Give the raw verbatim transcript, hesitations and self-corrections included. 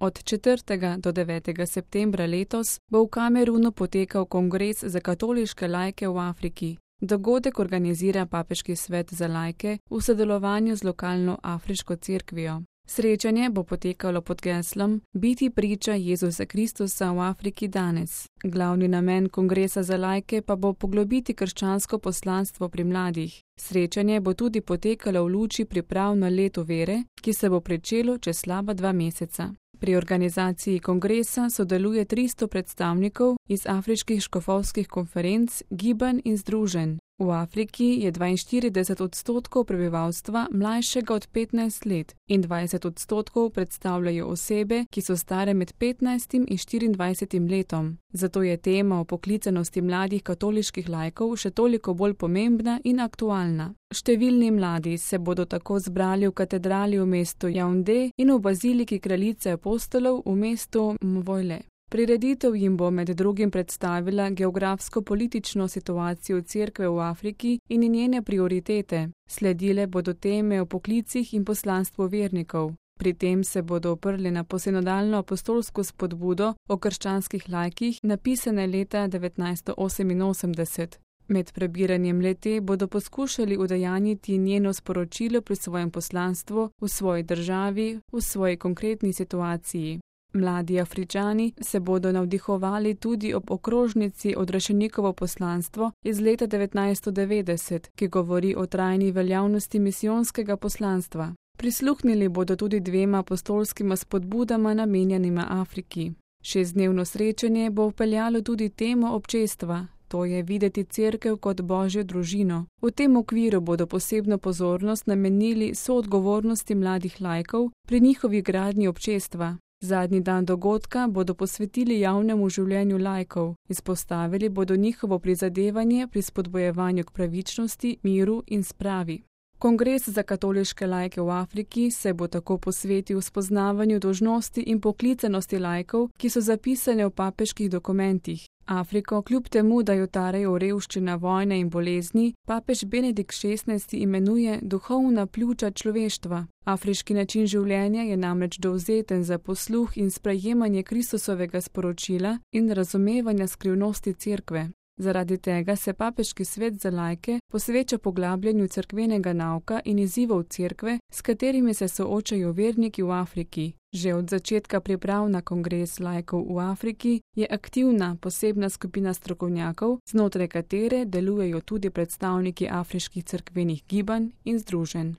Od četrtega do devetega septembra letos bo v Kamerunu potekal kongres za katoliške laike v Afriki. Dogodek organizira Papeški svet za laike v sodelovanju z lokalno afriško cerkvijo. Srečanje bo potekalo pod geslom Biti priča Jezusa Kristusa v Afriki danes. Glavni namen kongresa za laike pa bo poglobiti krščansko poslanstvo pri mladih. Srečanje bo tudi potekalo v luči priprav na leto vere, ki se bo pričelo čez slaba dva meseca. Pri organizaciji kongresa sodeluje tristo predstavnikov iz afriških škofovskih konferenc, gibanj in združenj. V Afriki je dvainštirideset odstotkov prebivalstva mlajšega od petnajst let in dvajset odstotkov predstavljajo osebe, ki so stare med petnajstim in štiriindvajsetim letom. Zato je tema o poklicanosti mladih katoliških laikov še toliko bolj pomembna in aktualna. Številni mladi se bodo tako zbrali v katedrali v mestu Jaunde in v baziliki kraljice apostolov v mestu Mvojle. Prireditev jim bo med drugim predstavila geografsko-politično situacijo cerkve v Afriki in njene prioritete. Sledile bodo teme o poklicih in poslanstvu vernikov. Pri tem se bodo oprli na posinodalno apostolsko spodbudo o krščanskih laikih, napisane leta devetnajststo oseminosemdeset. Med prebiranjem le-te bodo poskušali udejanjiti njeno sporočilo pri svojem poslanstvu, v svoji državi, v svoji konkretni situaciji. Mladi Afričani se bodo navdihovali tudi ob okrožnici Odrešenikovo poslanstvo iz leta devetnajststo devetdeset, ki govori o trajni veljavnosti misijonskega poslanstva. Prisluhnili bodo tudi dvema apostolskima spodbudama namenjenima Afriki. Šestdnevno srečanje bo vpeljalo tudi temo občestva, to je videti cerkev kot božjo družino. V tem okviru bodo posebno pozornost namenili soodgovornosti mladih laikov pri njihovi gradnji občestva. Zadnji dan dogodka bodo posvetili javnemu življenju laikov, izpostavili bodo njihovo prizadevanje pri spodbojevanju k pravičnosti, miru in spravi. Kongres za katoliške laike v Afriki se bo tako posvetil spoznavanju dolžnosti in poklicanosti laikov, ki so zapisane v papeških dokumentih. Afriko, kljub temu, da jo tarejo revščina, vojne in bolezni, papež Benedikt šestnajsti imenuje duhovna pljuča človeštva. Afriški način življenja je namreč dovzeten za posluh in sprejemanje Kristusovega sporočila in razumevanja skrivnosti cerkve. Zaradi tega se Papeški svet za laike posveča poglabljanju cerkvenega nauka in izzivov cerkve, s katerimi se soočajo verniki v Afriki. Že od začetka priprav na kongres laikov v Afriki je aktivna posebna skupina strokovnjakov, znotraj katere delujejo tudi predstavniki afriških cerkvenih gibanj in združenj.